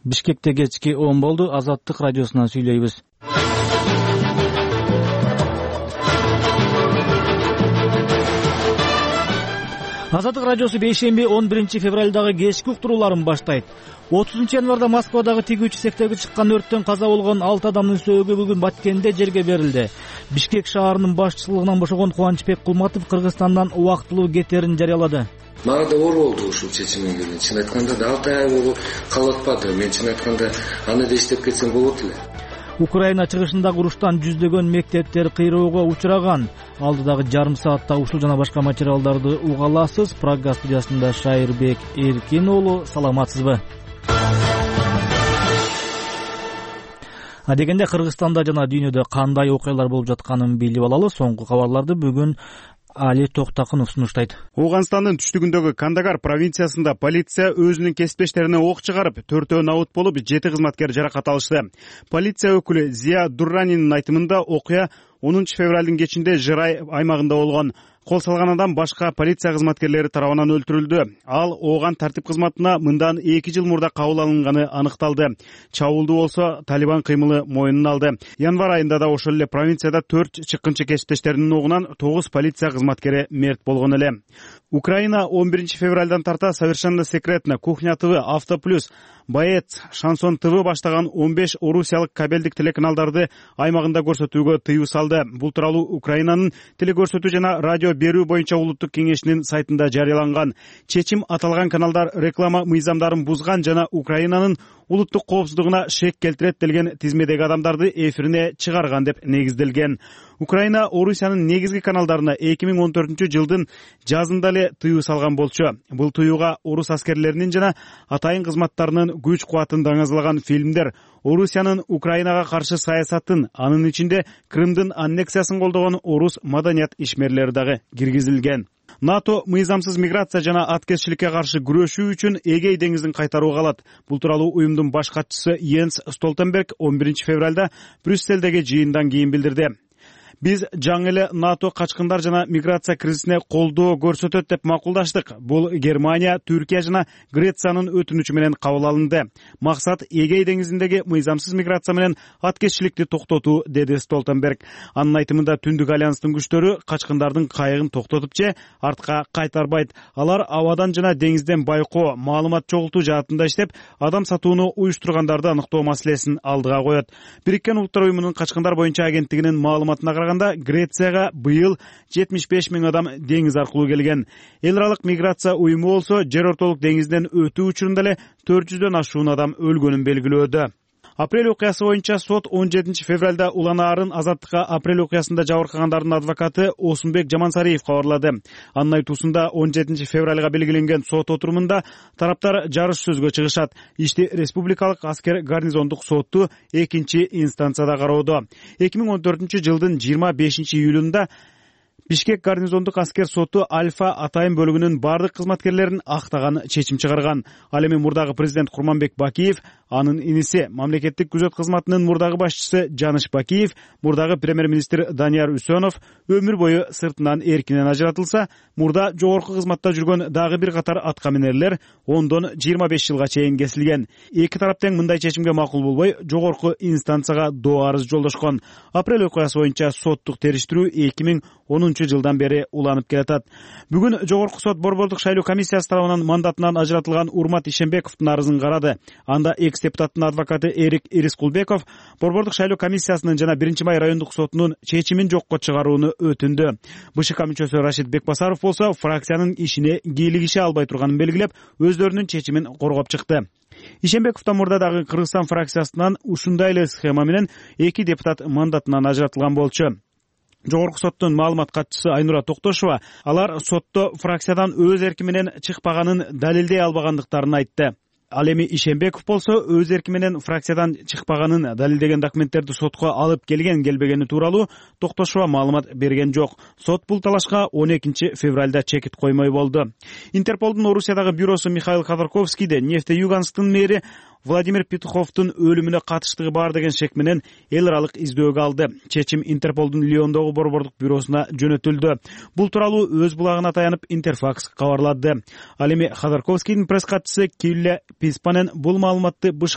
Бишкекте кечки 10 болду. Азаттык радиосунан сүйлөйбүз. Азаттык радиосу бейшемби 11 февралдагы кечки уктурууларын баштайт. 30 январда Москвадагы тигүүчү сектеги чыккан өрттөн каза болгон 6 адамдын сөөгү бүгүн Баткенде жерге берилди. Бишкек шаарынын башчылыгынан бошогон Кубанычбек Кулматов Кыргызстандан убактылуу кетерин жарыялады. Мага да оор болду ушул чечим менен. Чын айтканда 6 ай болуп калып атпады. Мен чын айтканда аны да иштеп кетсем болот эле. Украина чыгышындагы уруштан жүздөгөн мектептер кыйроого учураган. Алдыдагы жарым саатта ушул жана башка материалдарды уга аласыз. Прага студиясында Шайырбек Эркин уулу, саламатсызбы? Адегенде Кыргызстанда жана дүйнөдө кандай окуялар болуп жатканын билип алалы. Соңку кабарларды бүгүн Али Токтакынов сунуштайт. Ооганстандын түштүгүндөгү Кандагар провинциясында полиция өзүнүн кесиптештерине ок чыгарып, 4-өө набут болуп, 7 кызматкер жаракат алышты. Полиция өкүлү Зия Дурранинин айтымында окуя 10 февралдын кечинде Жырай аймагында болгон. Кол салган адам башка полиция кызматкерлери тарабынан өлтүрүлдү. Ал ооган тартип кызматына мындан 2 жыл мурда кабыл алынганы аныкталды. Чабуулду болсо Талибан кыймылы мойнуна алды. Январь айында да ошол эле провинцияда 4 чыккынчы кесиптештеринин огунан 9 полиция кызматкери мерт болгон эле. Украина 11 февралдан тарта Совершенно секретно, Кухня ТВ, Авто Плюс, Боец, Шансон ТВ баштаган 15 орусиялык кабелдик телеканалдарды аймагында көрсөтүүгө тыюу салды. Бул тууралуу Украинанын телекөрсөтүү жана радио берүү боюнча улуттук кеңешинин сайтында жарыяланган. Чечим аталган каналдар реклама мыйзамдарын бузган жана Украинанын улуттук коопсуздугуна шек келтирет делген тизмедеги адамдарды эфирине чыгарган деп негизделген. Украина Орусиянын негизги каналдарына 2014 жылдын жазында эле тыюу салган болчу. Бул тыюуга орус аскерлеринин жана атайын кызматтарынын күч кубатын даңазалаган фильмдер, Орусиянын Украинага каршы саясатын, анын ичинде Крымдын аннексиясын колдогон орус маданият ишмерлери дагы киргизилген. НАТО мыйзамсыз миграция жана аткезчиликке каршы күрөшүү үчүн Эгей деңизин кайтарууга алат. Бул тууралуу уюмдун баш катчысы Йенс Столтенберг 11 февралда Брюсселдеги жыйындан кийин билдирди. Биз жаңы эле НАТО качкындар жана миграция кризисине колдоо көрсөтөт деп макулдаштык. Бул Германия, Түркия жана Грециянын өтүнүчү менен кабыл алынды. Максат Эгей деңизиндеги мыйзамсыз миграция менен аткезчиликти токтотуу, деди Столтенберг. Анын айтымында Түндүк альянстын күчтөрү качкындардын кайыгын токтотуп же артка кайтарбайт. Алар абадан жана деңизден байкоо, маалымат чогултуу жаатында иштеп, адам сатууну уюштургандарды аныктоо маселесин алдыга коет. Бириккен Улуттар уюмунун качкындар боюнча агенттигинин маалыматына Грецияга быйыл 75 000 адам деңиз аркылуу келген. Эл аралык миграция уюму болсо жер ортолук деңизден өтүү учурунда эле 400дөн ашуун адам өлгөнүн белгилөөдө. Апрель окуясы боюнча сот 17 февралда уланаарын азаттыкка апрель окуясында жабыркагандардын адвокаты Осунбек Жамансариев кабарлады. Анын айтуусунда 17 февралга белгиленген сот отурумунда тараптар жарыш сөзгө чыгышат. Ишти республикалык аскер гарнизондук сотту 2-инстанцияда кароодо. 2014 жылдын 25 июлунда Бишкек гарнизондук аскер соту Альфа атайын бөлүгүнүн бардык кызматкерлерин актаган чечим чыгарган. Ал эми мурдагы президент Курманбек Бакиев, анын иниси мамлекеттик күзөт кызматынын мурдагы башчысы Жаныш Бакиев, мурдагы премьер-министр Данияр Үсөнов өмүр бою сыртынан эркинен ажыратылса, мурда жогорку кызматта жүргөн дагы бир катар аткаминерлер 10дон 25 жылга чейин кесилген. Эки тарап тең мындай чечимге макул болбой, жогорку инстанцияга доо арыз жолдошкон. Апрель окуясы боюнча соттук териштирүү 2010 жылдан бери уланып келатат. Бүгүн жогорку сот Борбордук шайлоо комиссиясы тарабынан мандатынан ажыратылган Урмат Ишембековдун арызын карады. Анда экс-депутаттын адвокаты Эрик Ирискулбеков Борбордук шайлоо комиссиясынын жана 1-Май райондук сотунун чечимин жокко чыгарууну өтүндү. БШК мүчөсү Рашид Бекбасаров болсо фракциянын ишине кийлигише албай турганын белгилеп, өздөрүнүн чечимин коргоп чыкты. Ишембековдон мурда дагы Кыргызстан фракциясынан ушундай эле схема менен 2 депутат мандатынан ажыратылган болчу. Жогорку соттун маалымат катчысы Айнура Токтошова алар сотто фракциядан өз эрки менен чыкпаганын далилдей албагандыктарын айтты. Ал эми Ишембеков болсо өз эрки менен фракциядан чыкпаганын далилдеген документтерди сотко алып келбегени тууралуу Токтошова маалымат берген жок. Сот бул талашка 12 февралда чекит коймой болду. Интерполдун Орусиядагы бюросу Михаил Ходорковскийде Нефтеюганскдын мэри Владимир Петуховдун өлүмүнө катыштыгы бар деген шек менен эл аралык издөөгө алды. Чечим Интерполдун Лиондогу борбордук бюросуна жөнөтүлдү. Бул тууралуу өз булагына таянып Интерфакс кабарлады. Ал эми Ходорковскийдин пресс катчысы Килля Писпанен бул маалыматты БШК